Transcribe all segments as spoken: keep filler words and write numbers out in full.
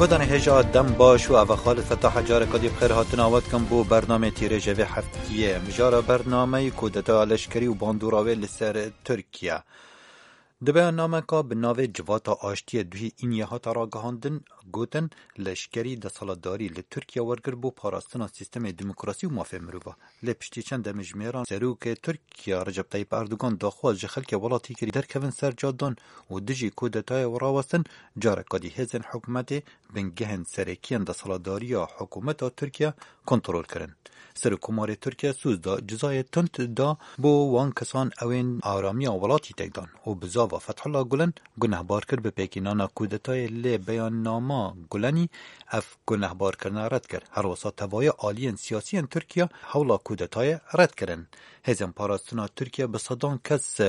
Guhdarên hêja, dem baş û eva Xalid Fetah, careke dî bi xêr hatina we dikim bo bernamê Tîrêjê vê heftiyê. Mijara bernameyê kudetaya leşkerî û bandora wê li ser Tirkiye. Di beyannameka bi navê Civata Aştiyê duhî îniyê hate ragihandin, gotin, leşkerî desthilatdarî li Tirkiye wergir bo parastina sîstemê demokrasî û mafê mirova. Lê piştî çend demjimêran serokê Tirkiye Recep Tayyip Erdogan daxwaz ji xelkê welatî kirî derkevin ser cadan û dijî kudetayê rawestin, careka dî hêzên hikûmetê bingehên serekî yên desthilatdariya hikûmeta Tirkiye kontrol kirin. Serokkomarê Tirkiye soz da, cezayê tund da bo wan kesan ewên aramiya welatî têk dan û bi zava Fethullah Gulen gunehbar kir bi pêkînana kudetayê, lê beyannama Gulenî ev gunehbarkirina red kir. Herwesa tevaya aliyên siyasî yên Tirkiye hewla kudetayê red kirin. Hêzên parastina Tirkiye bi sedan kes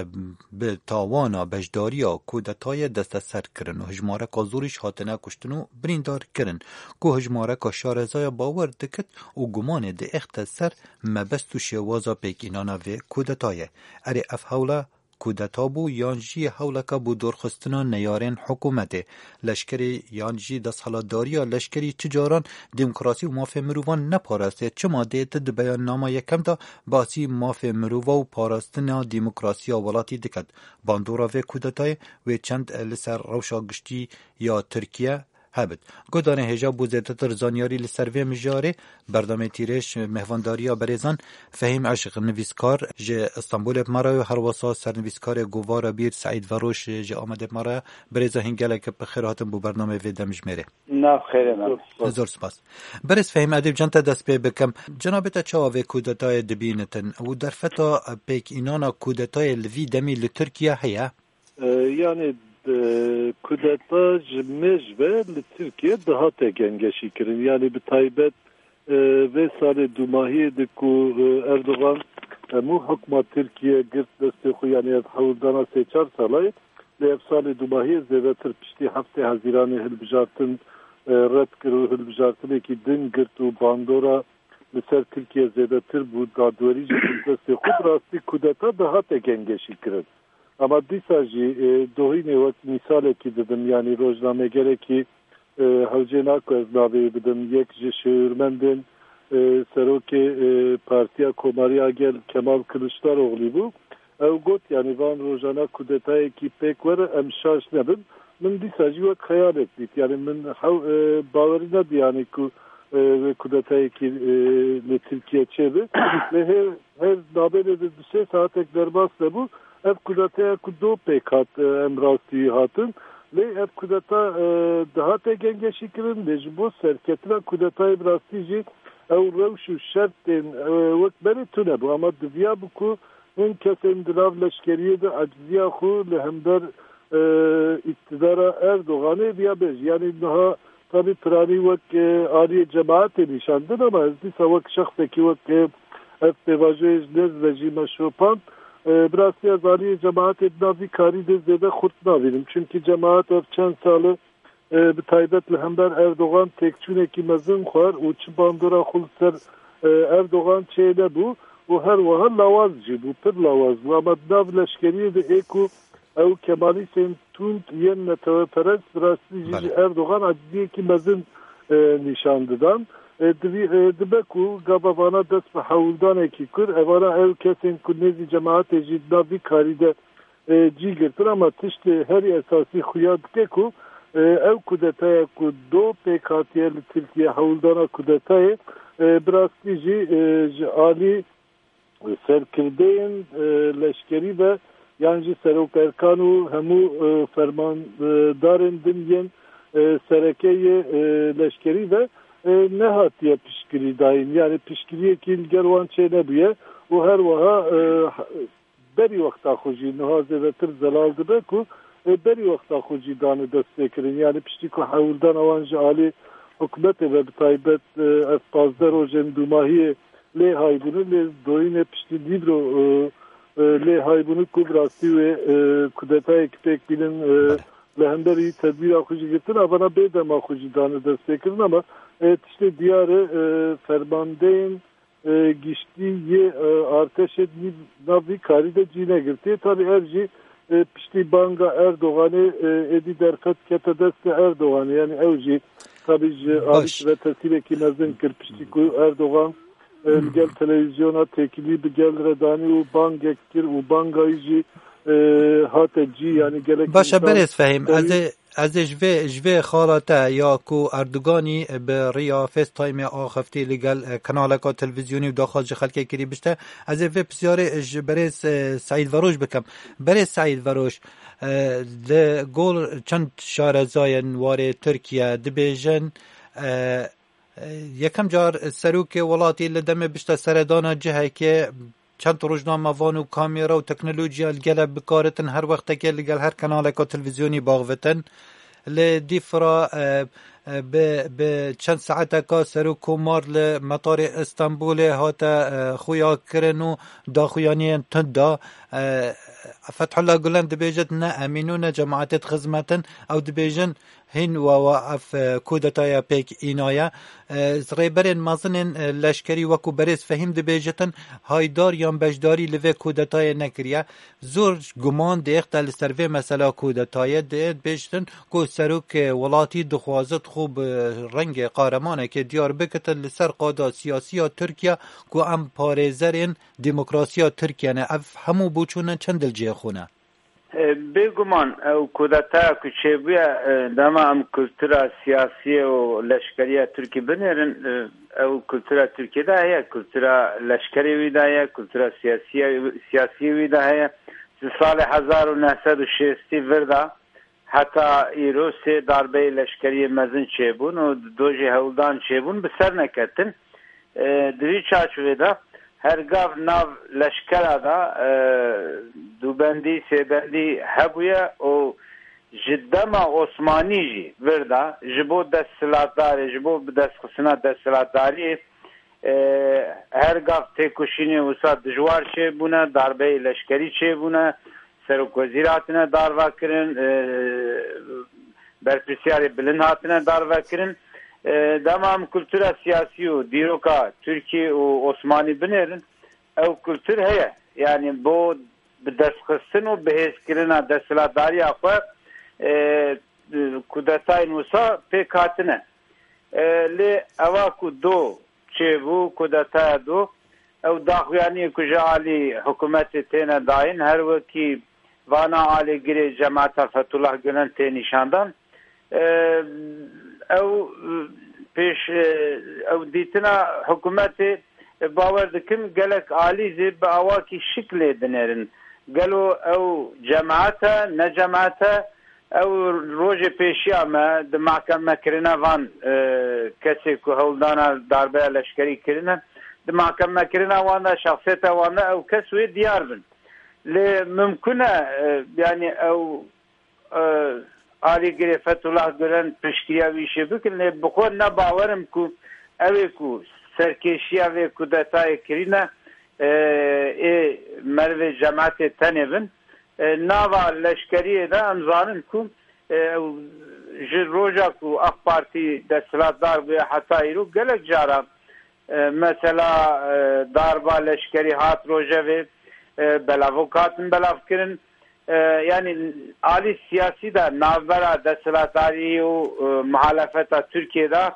bi tawana beşdariya kudetayê desteser kirin û hijmareka zorî jî hatine kuştin û birîndar kirin, ku hijmareka şarezaya bawer dikit û gumanê diêxte ser mebest û şêwaza pêkînana vê kudetayê. Erê, ev hewla kudeta bû yan jî hewleka bo dorxistina neyarên hikûmetê? Leşkerê yan jî desthilatdariya leşkerî çi caran demokrasî û mafê mirovan neparastê? Çima dê ti di beyannama yekem de basî mafê mirova û parastina demokrasiya welatî diket? Bandora vê kudetayê wê çend li ser rewşa giştî ya Tirkiye hebit? Guhdarên hêja, bo zêdetir zanyarî li ser vê mijarê, berdamê Tîrêj mêhvandariya berêzan Fehîm Eşq, nivîskar ji Stenbolê bi me re ye, herwesa sernivîskarê Govara Bîr Seîd Veroş ji Amedê bi me re ye. Birêza, hîn gelek bi xêr hatin bo bernameyê vê demjimêrê. Nav xêrê me. Zor spas. Birêz Fehîm, ez dê bi cem te dest pê bikim. Cenabê te çawa vê kudetayê dibînitin û derfeta pêkînana kudetayê li vî demî li Tirkiye heye? E, yanî, e, kudeta ji mêj ve li Tirkiye dihate gengeşî kirin. Yanî bi taybet, e, vê salê dûmahiyê de ku, e, Erdogan hemû hukma Tirkiye girt destê xwe, yanî ev hewldana sê çar salayê, lê ev salê dûmahiyê zêdetir piştî heftê Hezîranê hilbijartin, e, red kir û hilbijartinekî din girt û bandora li ser Tirkiye zêdetir bû, dadwerî jî girt destê xwe, bi rastî kudeta dihate gengeşî kirin. Ama dîsa jî, e, dohînê wek mîsalekî didim, yanî rojnamegerekî, e, hewcê naku ez navê wî bidim, yek ji şêwirmendên, e, serokê, e, Partiya Komarî a Gel Kemal Kiliçdaroglî bû. Ew got, yanî van rojana kudetayekî pêk were, em şaş nebin. Min dîsa jî wek xeyalek dît. Yanî min hew, e, bawerî nebû, yanî ku, e, wê kudetayekî, e, li Tirkiye çêbe. Lê her, her nabênê de du sê saetek derbas nebû. Ev kudeteya ku do pêk hat, e, em rastî hatin. Lê ev kudeta, e, dihate gengeşî kirin. Lê ji bo serketina kudetayê bi rastî jî ew rewş û şertên, e, wek berê tune bû. Ama diviya bû ku hin kesên di nav leşkeriyê de eciziya xwe li hember, e, îktidara Erdoganê viya bêj. Yanî niha tabî piranî wek, e, aliyê cemaetê nîşan din, ama ez dîsa wek şexsekî, wek, e, ev pêvajoyê ji nêz ve jî me şopand. E, bi rastî ez aliyê cemaetê di nav vî karî de zêde xurt nabînim. Çimkî cemaet ev çend sal e, e, bi taybet li hember Erdogan têkçûnekî mezin xwar û çi bandora xwe li ser, e, Erdogan çênebû û her wiha lawaz jî bû, pir lawaz bû. Ama di nav leşkeriyê de ê ku ew kemalîstên tund yên neteweperest bi rastî jî ji Erdogan aciziyekî mezin, e, nîşan didan. E, divî-, e, dibe ku gava vana dest bi hewldanekî kir, evana ew kesên ku nêzî cemaetê jî di nav vî karî de e, cî girtin, ama tiştê herî esasî xuya dike ku, e, ew kudetaya ku do pêk hatiye li Tirkiye hewldana kudetayê, e, bi rastî jî, e, ji alî serkirdeyên, e, leşkerî ve yan jî serokerkan û hemû, e, fermandarên din yên, e, sereke yê, e, leşkerî ve, e, nehatiye piştgirî dayîn. Yani piştgiriyekî li gel wan çênebûye û her wiha, e, berî wexta xwe jî niha zêdetir zelal dibe ku, e, berî wexta xwe jî dane destpêkirin. Yani piştî ku hewldana wan ji alî hikûmetê ve bi taybet, e, ev pazdeh rojên dûmahiyê lê haybûne, lê doyînê piştî Nîvro, e, e, lê haybûne ku bi rastî wê, e, kudetayek pêk bînin, e, li hemberî tedbîra xwe jî girtin, avana bê dema xwe jî dane destpêkirin, ama, e, tiştê diyar e, e, fermandeyên e, giştî yê, e, artêşê di nav vî karî de cî negirtiye. Tabî ev jî, e, piştî banga Erdoganê, e, êdî derfet kete destê Erdoganê. Yani ew jî Tabî ji alî Baş. Ve tesîreke mezin kir piştî ku Erdogan, e, li gel televîzyona têkilî bi gel re danî û bangek kir û bangayî jî, e, hate cî, yanî gelek Baş e, insan berêz Fehîm, ez ê, ez ê ji vê, ji vê xala te ya ku Erdoganî bi riya FaceTime-ê axaftî li gel, e, kanaleka televîzyonî û daxwaz ji xelkê kirî bişte, ez ê vê pisyarê ji berêz, e, Seîd Veroj bikim. Berêz Seîd Veroj, e, li gor çend şarezayên warê Tirkiye dibêjin, e, Yekem car serokê welatî li demê bişte seredana cihekê, çend rojnamevan û kamera û teknolojiya li gele bikaritin her wextekê li gel her kanaleka televîzyonî baxvitin. Li dîfra, e, e, bi, bi çend saeteka serokkomar li metarê Îstanbulê hate, e, xuya kirin û daxuyaniyên tund da. E, Fethullah Gulen dibêjit ne em î nû ne cemaetê dixizmetin. Ew dibêjin, Hîn wa wa ev, e, kudetaya pêk înaye. E, rêberên mezin ên, e, leşkerî wekû berêz Fehîm dibêjitin, haydar yan beşdarî li vê kudetayê nekiriye. Zor guman dêxte li ser vê mesela kudetayê dê bêjtin ku serokê welatî dixwazit xwe bi rengê qaremanekê diyar bikitin li ser qada siyasî ya Tirkiye ku em parêzerên demokrasiya Tirkiye ne. Ev hemû boçûne çend dilcihê xwe ne. E, bêguman ew kudeteya ku çêbûye, e, dema em kultura siyasiyê û leşkeriya Tirkî binêrin, e, ew kultura Tirkiyê de heye, kultura leşkerê wî de heye, kultura siyasiye, siyasiyê wî de heye. Ji salê hezar û neh sed û şêstî vir de heta îro sê darbeyê leşkeriyê mezin çêbûn û du jî hewldan çêbûn, bi ser neketin. E, di vî çarçovê de her gav nav leşkera de, e, dubendî, sêbendî hebûye û ji dema Osmanî jî vir de ji bo desthilatdarê, ji bo bidestxistina desthilatdariyê, e, her gav têkoşînê wisa dijwar çêbûne, darbeyê leşkerî çêbûne, serokwezîr hatine darvekirin, e, berpirsiyarê bilind hatine darvekirin. E, dema em kultura siyasî û dîroka Tirkî û Osmanî binêrin, ew kultur heye. Yanî bo bi destxistin û bihêzkirina desthilatdariya xwe, e, kudetayên wisa pêk hatine. E, lê ewa ku do çêbû, kudetaya do, ew daxuyaniyê ku ji alî hikûmetê têne dayîn, her wekî vana alîgirê cemaeta Fethullah Gulen tê nîşandan. E, ew pêş, e, ew dîtina hikûmetê, e, bawer dikim gelek alî zê bi awakî şik lê dinêrin. Gelo ew cemaet e, ne cemaet e? Ew rojê pêşiya me di mahkemekirina van, e, kesê ku hewldana darbeya leşkerî kirine, di mahkemekirina wan de, şexsiyeta wan de ew kes wê diyar bin. Lê mimkun e, e, yanî ew, e, alîgirê Fethullah Gulen piştgiriya wî îşê bikin, lê bi xwe ne bawer im ku ew ê ku serkêşiya vê kudetayê kirîne, e, ê merivê cemaetê tenê bin. E, nava leşkeriyê de em zanin ku, e, ew ji roja ku AK Partî desthilatdar bûye heta îro gelek cara, e, mesela, e, darba leşkerî hat rojevê, e, belavok hatin belavkirin. E, yanî alî siyasî de navbera desthilatdarî û, e, muhalefeta Tirkiyê de,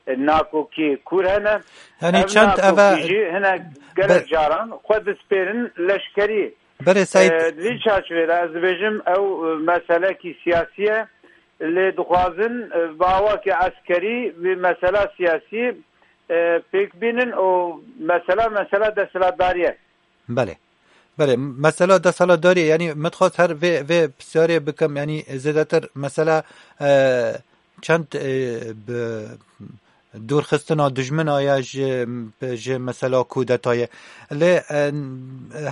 e, nakokî kûr hene. Yanî Ev çend eve nakokî jî hine gelek be- caran xwe dispêrin leşkerî. Berê Seîd. E, di vî çarçovê de ez dibêjim ew, e, meselekî siyasî ye. Lê dixwazin, e, bi awakî eskerî vê mesela siyasî, e, pêk bînin û mesela, mesela desthilatdarî ye. Belê. Belê. Mesela desthilatdarî, yanî min dixwest her vê, vê pisyarê bikim, yanî zêdetir mesela, e, çend, e, bi dûrxistina dijmina ye ji, ji mesela kudetayê. Lê, e,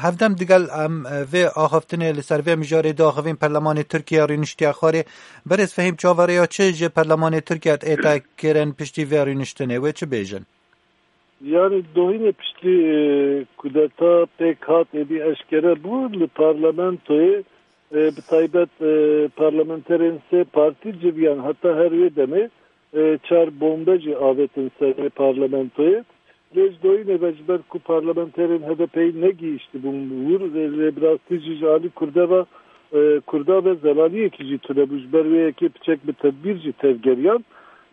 hevdem digel em, e, vê axaftinê li ser vê mijarê diaxivîn perlemanê Tirkiye rûniştiye xwarê. Berêz Fehîm, çaverêya çi ji perlemanê Tirkiye ête kirin piştî vê rûniştinê? Wê çi bêjin? Yanî dohînê piştî, e, kudeta pêk hat êdî eşkere bû li parlamentoyê, e, bi taybet, e, parlamenterên sê partî civiyan heta her wê demê, e, çar bombe jî avêtin ser vê parlamentoyê. Lê ji doyînê ve ji ber ku parlamenterên H D P'yê negihîştibûn wir, e, lê bi rastî jî ji alî Kurde ve, e, Kurda ve zelaliyekî jî tune bû. Ji ber wê yekê piçek bi tedbîr jî tevgeriyan.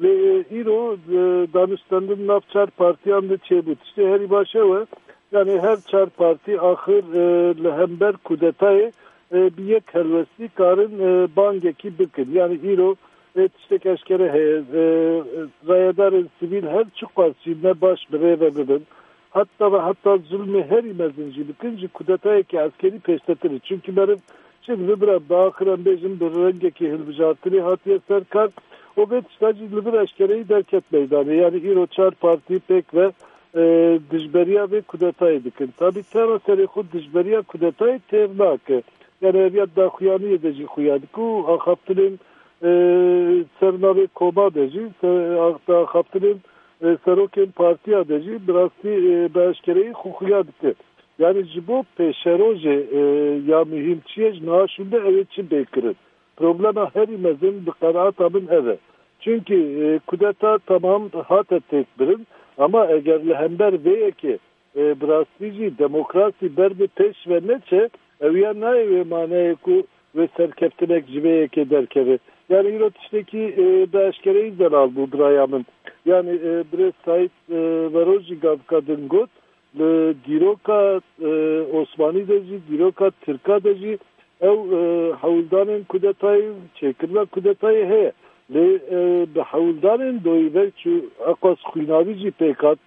Lê, e, îro, e, danûstendin nav çar partiyan de çêbû. Tiştê herî baş ew e. Yani her çar partî axir, e, li hember kudetayê, e, bi yek helwestî karin, e, bangekî bikin. Yani îro, e, tiştek eşkere heye. E, e, rayedarên sivîl her çiqas jî ne baş bi rê ve bibin. Heta ve heta zulmê herî mezin jî bikin, ji kudetayekî eskerî pêştetir e. Çimkî meriv çi dibe bira, bi axir em bêjin bi rengekî hilbijartinê hatiye ser kar û vê tişta jî li vir eşkereyî derket meydanê. Yani îro çar partî pêk ve, e, dijberiya vê kudetayê dikin. Tabî tera serê xwe dijberiya kudetayê têr nake. Yani ev ya daxuyaniyê de jî xuya dike û axaftinên, e, ser navê koma de jî, se-, ax-, axaftinên, e, serokên partiya de jî bi rastî, e, bi eşkereyî xwe xuya dike. Yani ji bo pêşerojê, e, ya muhîm çi ye, ji niha şûnde ew ê çi bê kirin? Problema herî mezin bi qenaeta min ev e. Çimkî, e, kudeta temam hate têkbirin, ama eger li hember vê yekê, e, bi rastî jî demokrasî ber bi pêş ve neçe, ew ya nayê wê maneyê ku wê serkeftinek ji vê yekê derkeve. Yani îro tiştekî, e, bi eşkereyî zelal bû biraya min. Yani, e, birêz Sayîd, e, Veroj jî gavka din got, li dîroka, e, Osmanî de jî, dîroka Tirka de jî ew, e, hewldanên kudetayê, çêkirina kudetayê heye. Lê, e, bi hewldanên doyî ve çi eqas xwînavî jî pêk hat,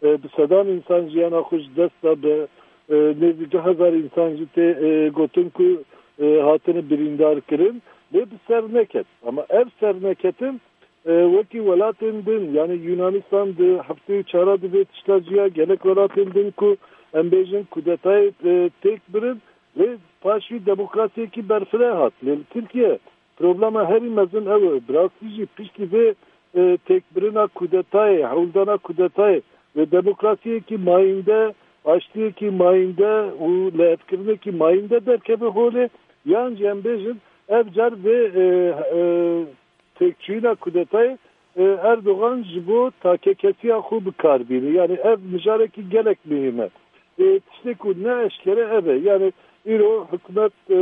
e, bi sedan însan jiyana xwe ji dest da, bi, e, nêzî du hezar însan jî tê, e, gotin ku, e, hatine birîndar kirin. Lê bi ser neket. Ama ev ser neketin, e, wekî welatên din, yani Yunanistan di heftê û çara di vê tişta ciya, gelek welatên din ku em bêjin kudetayê, e, têk birin, lê paşî demokrasiyekî berfireh hat. Lê li Tirkiye problema herî mezin ew e. Bi rastî jî piştî vê, e, têkbirina kudetayê, hewldana kudetayê ve demokrasiyekî mayînde, aştiyekî mayînde û lihevkirinekî mayînde derkeve holê, yan jî em bêjin ev car vê, e, e, têkçûyîna kudetayê, e, Erdogan ji bo takekesiya xwe bi kar bîne. Yani ev mijarekî gelek muhîm e. E, tiştê ku ne eşkere ev e. Yani îro hikûmet, e,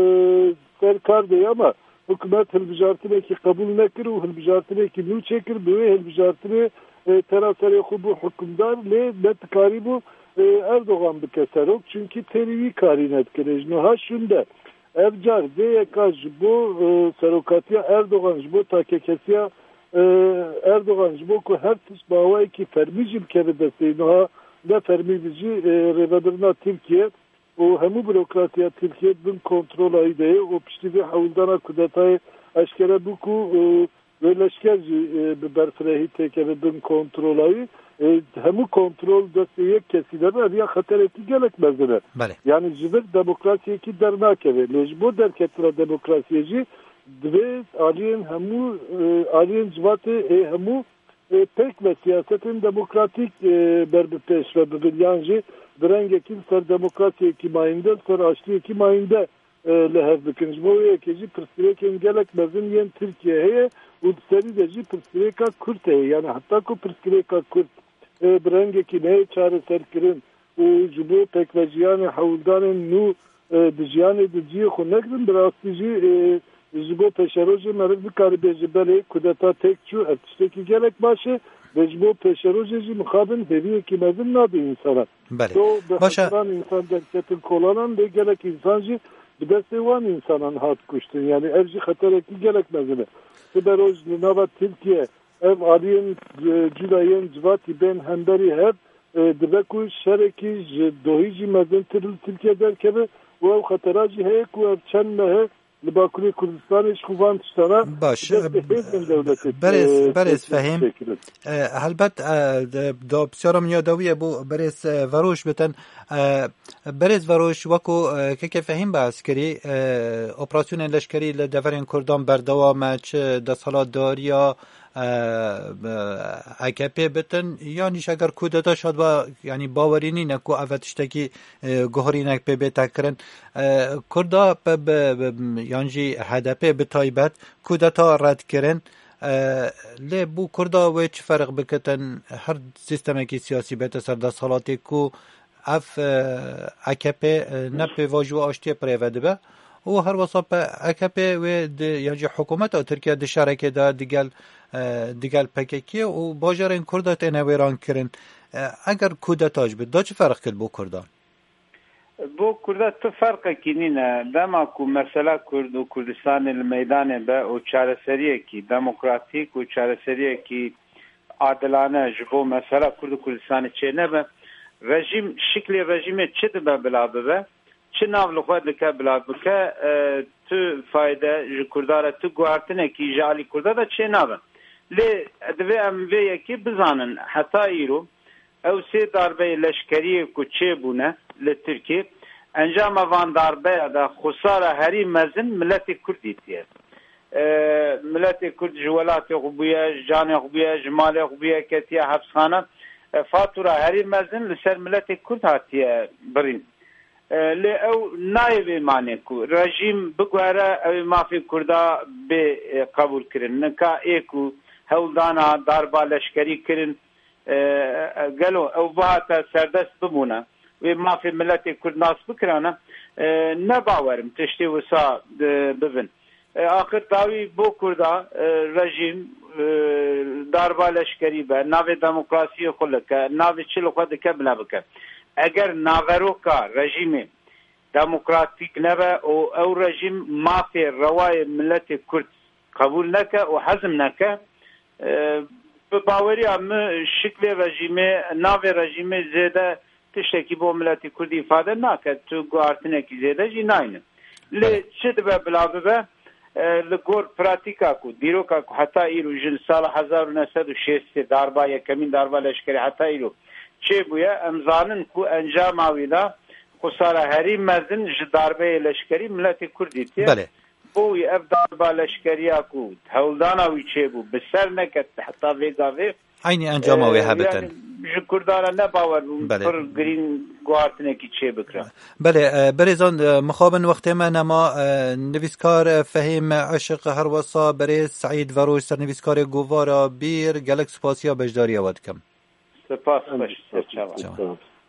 ser kar de ye, ama hikûmet hilbijartinekî qebûl nekir û hilbijartinekî nû çêkir. Bi wê hilbijartinê, e, tera serê xwe bû hikûmdar, lê ne dikarîbû, e, Erdogan bike serok, çimkî têrî wî karî nedikir. Ji niha şûnde ev car vê yeka ji bo, e, serokatiya Erdogan, ji bo takekesiya, e, Erdogan, ji bo ku her tişt bi awayekî fermî jî bikeve destê, niha ne fermî bi jî, e, rêvebirina Tirkiye û hemû burokrasiya Tirkiye bin kontrola wî de ye û piştî vê hewldana kudetayê eşkere bû ku, e, wê leşker jî, e, bi berfirehî têkeve bin kontrola wî. E, hemû kontrol destê yek kesî de be, ev ya xeterekî gelek mezin e. Belê. Yani ji vir demokrasiyekî dernakeve. Lê ji bo derketina demokrasiyê jî divê aliyên hemû, e, aliyên civatê ê hemû, e, pêk ve siyasetên demokratîk, e, ber bi pêş ve bibin, yan jî bi rengekî li ser demokrasiyekî mayînde, li ser aştiyekî mayînde, e, li hev bikin. Ji bo wê yekê jî pirsgirêkên gelek mezin yên Tirkiye heye û di serî de jî pirsgirêka Kurd heye. Yani heta ku pirsgirêka Kurd, e, bi rengekî neyê çareserkirin û ji bo pêkvejiyanê hewldanên nû, e, di jiyanê de cihê xwe negirin, bi rastî jî, e, ji bo pêşerojê meriv nikare bêje belê kudeta têk çû, ev tiştekî gelek baş e, lê ji bo pêşerojê jî mixabin hêviyekî mezin nade însanan. Belê. Do bi Baş e. hezaran însan derketin kolanan, lê gelek însan jî bi destê wan însanan hat kuştin. Yani ev jî xeterekî gelek mezin e. Siberoj li nava Tirkiye ev aliyên, e, cuda yên civatî bên hemberî hev, e, dibe ku şerekî ji dohî jî mezintir li Tirkiye derkeve û ew xetera jî heye ku ev çend mehe li Bakurê Kurdistanê ji xwe van tiştana Baş, bi destê hêzên dewletê, berêz, e, berêz têk Fehîm. têkirin. E, helbet, e, de, da pisyara min ya dawî ye bo berêz, e, Veroj bitin. E, berêz Veroj, weko, e, keke Fehîm behs kirî, e, operasyonên leşkerî li deverên Kurdan berdewam e, çi desthilatdariya, e, e, A K P bitin, yan jî eger kudeta şad ba, yanî bawerî nîne ku ev tiştekî, e, guherînek pê bête kirin. E, Kurda pe bi, bi, yan jî H D P bi taybet kudeta red kirin. E, lê bo Kurda wê çi ferq bikitin? Her sîstemekî siyasî bête ser desthilatê ku ev, e, A K P, e, ne pêvajoya aştiyê bi rê ve dibe û her wesa P-, A K P wê di, yan jî hikûmeta Tirkiye di şerekê de digel, e, digel P K K û bajarên Kurda têne wêran kirin. E, eger kudeta ji bi, da çi ferq kir bo Kurdan? Bo Kurda tu ferqekî nîne. Dema ku mesela Kurd û Kurdistanê li meydanê be û çareseriyekî demokratîk û çareseriyekî adilane ji bo mesela Kurd û Kurdistanê çênebe, rejîm, şiklê rejîmê çi dibe bila bibe, çi nav li xwe dike bila bike, e, tu fayde ji Kurda re, tu guhartinekî ji alî Kurda de çênabe. Lê divê em vê yekê bizanin, heta îro ew sê darbeyê leşkeriyê ku çêbûne li Tirkiyê, encama van darbeya de xusara herî mezin miletê Kurd dîtiye. E, miletê Kurd ji welatê xwe bûye, ji canê xwe bûye, ji malê xwe bûye, ketiye hepsxane. E, fatura herî mezin li ser miletê Kurd hatiye birîn. E, lê ew nayê vê manê ku rejîm biguhere, ew ê mafê Kurda bê, e, qebûl kirin. Nika ê ku hewldana darba leşkerî kirin, e, e, gelo ew bihate serdest bibûne, wê mafê miletê Kurd nas bikirane, e, ne bawer im tiştê wisa, e, bibin. E, axir dawî bo Kurda, e, rejîm, e, darba leşkerî be, navê demokrasiyê xwe like, navê çi li xwe dike bila bike. Eger naveroka rejîmê demokratîk nebe û ew rejîm mafê rewayê miletê Kurd qebûl neke û hezm neke, e, bi baweriya min şiklê rejîmê, navê rejîmê zêde tiştekî bo miletê Kurdî îfade nake, tu guhartinekî zêde jî nayne. Lê çi dibe bila bibe, e, li gor pratîka ku, dîroka ku heta îro ji sala hezar û neh sed û şêstê darba, yekemîn darba leşkerî heta îro çêbûye, em zanin ku encama wî de xusara herî mezin ji darbeyê leşkerî miletê Kurd dîtiye. Belê. Bo wî ev darba leşkeriya ku hewldana wî çêbû, bi ser neket heta vê gavê, Eynî encama wê e, hebitin. Yanî ji Kurdan re ne bawer bûn, Belê. Pir girîng guhartinekî çê bikira. Belê, e, berêzan, e, mixabin wextê me nema, e, nivîskar, e, Fehîm Eşiq, her wesa berêz Seîd Veroş, sernivîskarê Govara Bîr, gelek spasiya beşdariya we dikim. Spas, xweş, ser çavan. Çavan.